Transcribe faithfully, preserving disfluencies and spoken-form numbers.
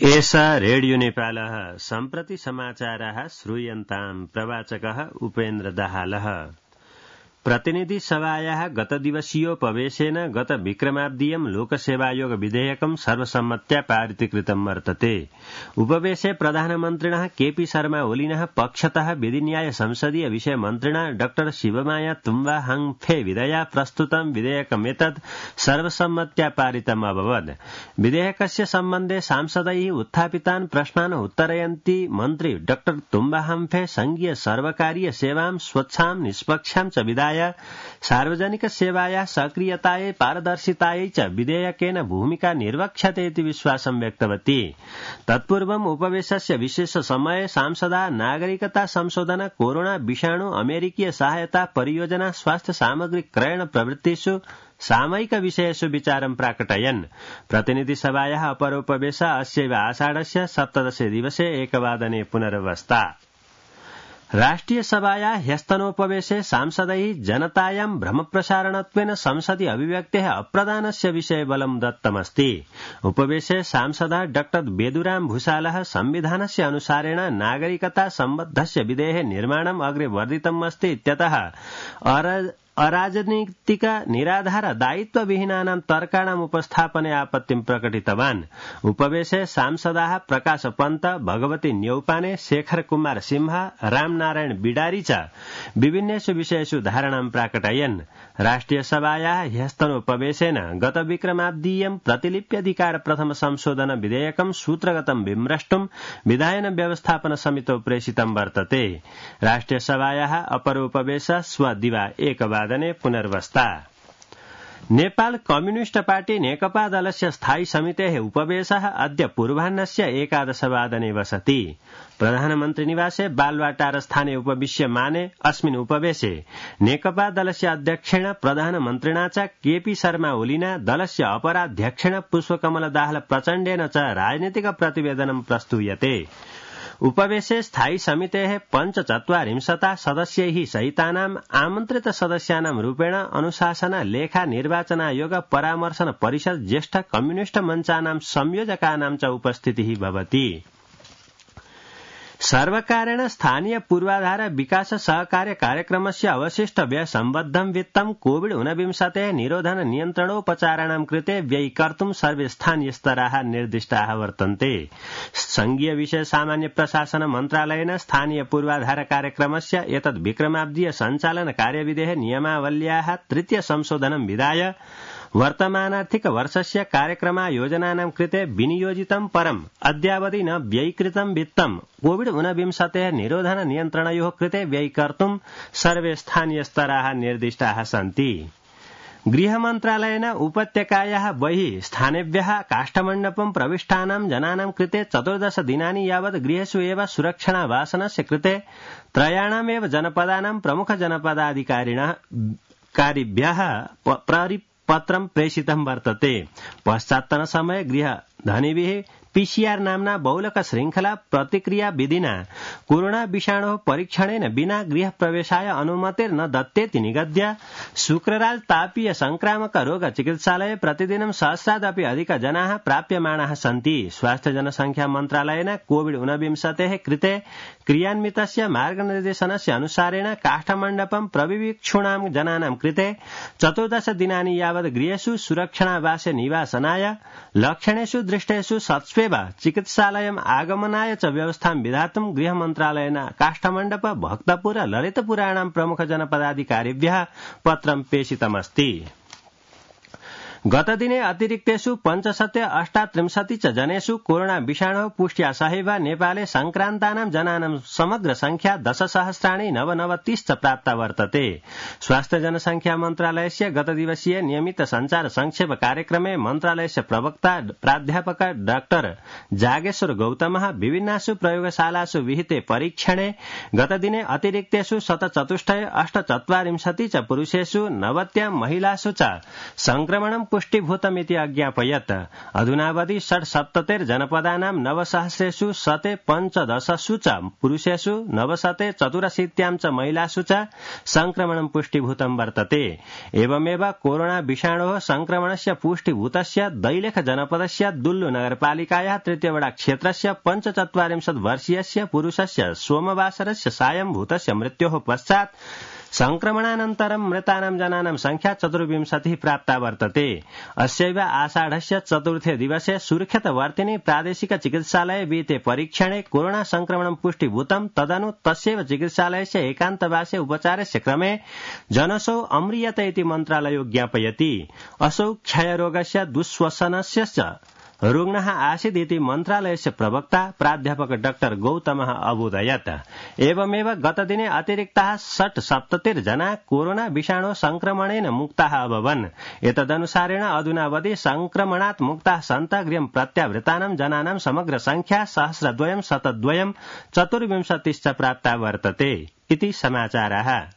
एषा रेडियो नेपालः सम्प्रति समाचाराः श्रूयन्ताम् प्रवाचकः उपेन्द्र दाहालः। प्रतिनिधि सभायाः गतदिवसीयोपवेशेन गत विक्रमाब्दीयं लोकसेवायोग विधेयकं सर्वसम्मत्या पारितीकृतं वर्तते। उपवेशे प्रधानमन्त्रिणः केपी शर्मा ओलिनः पक्षतः विधिन्याय संसदीय विषय मन्त्रिणा डॉ शिवमाया तुम्बा हाङफे विधया प्रस्तुतं विधेयकमेतत् सर्वसम्मत्या पारितम् अभवत्। विधेयकस्य सम्बन्धे सांसदैः उत्थापितान् प्रश्नान् उत्तरयन्ती मन्त्री डॉ तुम्बा हाङफे संघीय सर्वकारीय सेवां स्वच्छां निष्पक्षां च विधाय सार्वजनिक सेवाया सक्रियतायै पारदर्शितायै च विधेयकेन भूमिका निर्वक्ष्यते इति विश्वासं व्यक्तवती। तत्पूर्वम् उपवेशस्य विशेष समये सांसदा नागरिकता संशोधन कोरोना विषाणु अमेरिकीय सहायता परियोजना स्वास्थ्य सामग्री क्रयण प्रवृत्तिषु सामयिक विषयेषु विचारं प्राकटयन्। प्रतिनिधि सभायाः अपरोपवेश अस्यैव आषाढस्य सप्तदशे दिवसे एकवादने पुनरवस्था। राष्ट्रिय सभाया ह्यस्तनोपवेशे सांसदैः जनतायां भ्रमप्रसारणत्वेन संसदि अभिव्यक्तेः अप्रदानस्य विषये बलं दत्तमस्ति। उपवेशे सांसदः डॉ बेदुराम भूषालः संविधानस्य अनुसारेण नागरिकता सम्बद्धस्य विधेयः निर्माणम् अग्रे वर्धितम् अस्ति इत्यतः अराजनीतिक निराधार दायित्वविहीनानां तर्काणाम् उपस्थापने आपत्तिं प्रकटितवान्। उपवेशे सांसदाः प्रकाश पन्त, भगवती न्यौपाने, शेखर कुमार सिंह, रामनारायण बिडारी च विभिन्नेषु विषयेषु धारणां प्राकटयन्। राष्ट्रिय सभायाः ह्यस्तनोपवेशेन गत विक्रमाब्दीयं प्रतिलिप्यधिकार प्रथम संशोधन विधेयकं सूत्रगतं विम्रष्टुं विधायन व्यवस्थापन समितौ प्रेषितं वर्तते। राष्ट्रिय सभायाः अपरोपवेश श्व दिवा एकवादने पुनर्वस्था। नेपाल कम्युनिस्ट पार्टी नेकपा दलस्य स्थायी समितेः उपवेशः अद्य पूर्वाह्नस्य एकादशवादने वसति। प्रधानमन्त्री निवासे बालवाटार स्थाने उपविश्यमाने अस्मिन् उपवेशे नेकपा दलस्य अध्यक्षेण प्रधानमन्त्रिणा च केपी शर्मा ओलिना, दलस्य अपराध्यक्षेण पुष्पकमल दाहाल प्रचण्डेन च राजनीतिक प्रतिवेदनं प्रस्तूयते। उपवेशे स्थायी समितेः पञ्चचत्वारिंशता सदस्यैः सहितानाम् आमन्त्रित सदस्यानां रूपेण अनुशासन, लेखा, निर्वाचनायोग, परामर्शन परिषद, ज्येष्ठ कम्युनिस्ट मञ्चानां संयोजकानां च उपस्थितिः भवति। सर्वकारेण स्थानीय पूर्वाधार विकास सहकार्य कार्यक्रमस्य अवशिष्ट व्यय सम्बद्धं वित्तं कोविड ऊनविंशतेः निरोधन नियन्त्रणोपचाराणां कृते व्ययीकर्तुं सर्वे स्थानीयस्तराः निर्दिष्टाः वर्तन्ते। संघीय विषय सामान्य प्रशासन मन्त्रालयेन स्थानीय पूर्वाधार कार्यक्रमस्य एतद् विक्रमाब्दीय सञ्चालन कार्यविधेः नियमावल्याः तृतीय संशोधनं विधाय वर्तमानार्थिक वर्षस्य कार्यक्रमायोजनानां कृते विनियोजितं परम् अद्यावधि न व्ययीकृतं वित्तं कोविड ऊनविंशतेः निरोधन नियन्त्रणयोः कृते व्ययीकर्तुं सर्वे स्थानीयस्तराः निर्दिष्टाः सन्ति। गृहमन्त्रालयेन उपत्यकायाः बहिः स्थानेभ्यः काष्ठमण्डपं प्रविष्टानां जनानां कृते चतुर्दश दिनानि यावत् गृहेषु एव सुरक्षणावासनस्य कृते त्रयाणामेव जनपदानां प्रमुख जनपदाधिकारिणः कारिभ्यः पत्रं प्रेषितं वर्तते। पश्चात्तन समये गृहधनिभिः पीसीआर नाम्ना बहुलक श्रृंखला प्रतिक्रिया विधिना कोरोना विषाणोः परीक्षणेन विना गृह प्रवेशाय अनुमतिर्न दत्तेति निगद्य शुक्रराज तापीय संक्रामक रोग चिकित्सालये प्रतिदिनं सहस्रादपि अधिक जनाः प्राप्यमाणाः सन्ति। स्वास्थ्य जनसंख्या मन्त्रालयेन कोविड ऊनविंशतेः कृते क्रियान्वितस्य मार्गनिर्देशनस्य अनुसारेण काष्ठमण्डपं प्रविवीक्षूणां जनानां कृते चतुर्दश दिनानि यावत् गृहेषु सुरक्षणावासे निवासनाय लक्षणेषु दृष्टेषु सत्स्वे चिकित्सालयम् आगमनाय च व्यवस्थां विधातुं गृहमन्त्रालयेन काष्ठमण्डप, भक्तपुर, ललितपुराणां प्रमुख जनपदाधिकारिभ्यः पत्रं प्रेषितमस्ति। गतदिने अतिरिक्तेषु पञ्चशते अष्टात्रिंशति च जनेषु कोरोना विषाणोः पुष्ट्या सहैव नेपाले संक्रान्तानां जनानां समग्र संख्या दशसहस्राणि नवनवतिश्च प्राप्ता वर्तते। स्वास्थ्य जनसंख्या मन्त्रालयस्य गतदिवसीय नियमित संचार संक्षेप कार्यक्रमे मन्त्रालयस्य प्रवक्ता प्राध्यापक डाक्टर जागेश्वर गौतमः विभिन्नासु प्रयोगशालासु विहिते परीक्षणे गतदिने अतिरिक्तेषु शतचतुष्टय अष्टचत्वारिंशति च पुरुषेषु नवत्यां महिलासु च संक्रमणं पुष्टिभूतमिति अज्ञापयत्। अधुनावधि षट्सप्ततिर्जनपदानां नवसहस्रेषु शते पञ्चदशसु च पुरुषेषु नवशते चतुरशीत्यां च महिलासु च संक्रमणं पुष्टिभूतं वर्तते। एवमेव कोरोना विषाणोः संक्रमणस्य पुष्टिभूतस्य दैलेख जनपदस्य दुल्लु नगरपालिकायाः तृतीयवडा क्षेत्रस्य पञ्चचत्वारिंशत् वर्षीयस्य पुरुषस्य सोमवासरस्य सायं भूतस्य मृत्योः पश्चात् संक्रमणानन्तरं मृतानां जनानां संख्या चतुर्विंशतिः प्राप्ता वर्तते। अस्यैव आषाढस्य चतुर्थे दिवसे सुर्खेतवर्तिनि प्रादेशिक चिकित्सालये विहिते परीक्षणे कोरोना संक्रमणं पुष्टिभूतं। तदनु तस्यैव चिकित्सालयस्य एकान्तवासे उपचारस्य क्रमे जनसौ अम्रियत इति मन्त्रालयो ज्ञापयति। असौ क्षयरोगस्य दुःश्वसनस्य रुग्णः आसीदिति मन्त्रालयस्य प्रवक्ता प्राध्यापक डाक्टर गौतमः अबोधयत्। एवमेव गतदिने अतिरिक्ताः षट्सप्ततिर्जना कोरोना विषाणो संक्रमणेन मुक्ताः अभवन्। एतदनुसारेण अधुनावधि संक्रमणात् मुक्ताः सन्ता गृहं प्रत्यावृतानां जनानां समग्र संख्या सहस्रद्वयं शतद्वयं चतुर्विंशतिश्च प्राप्ता वर्तते इति समाचारः।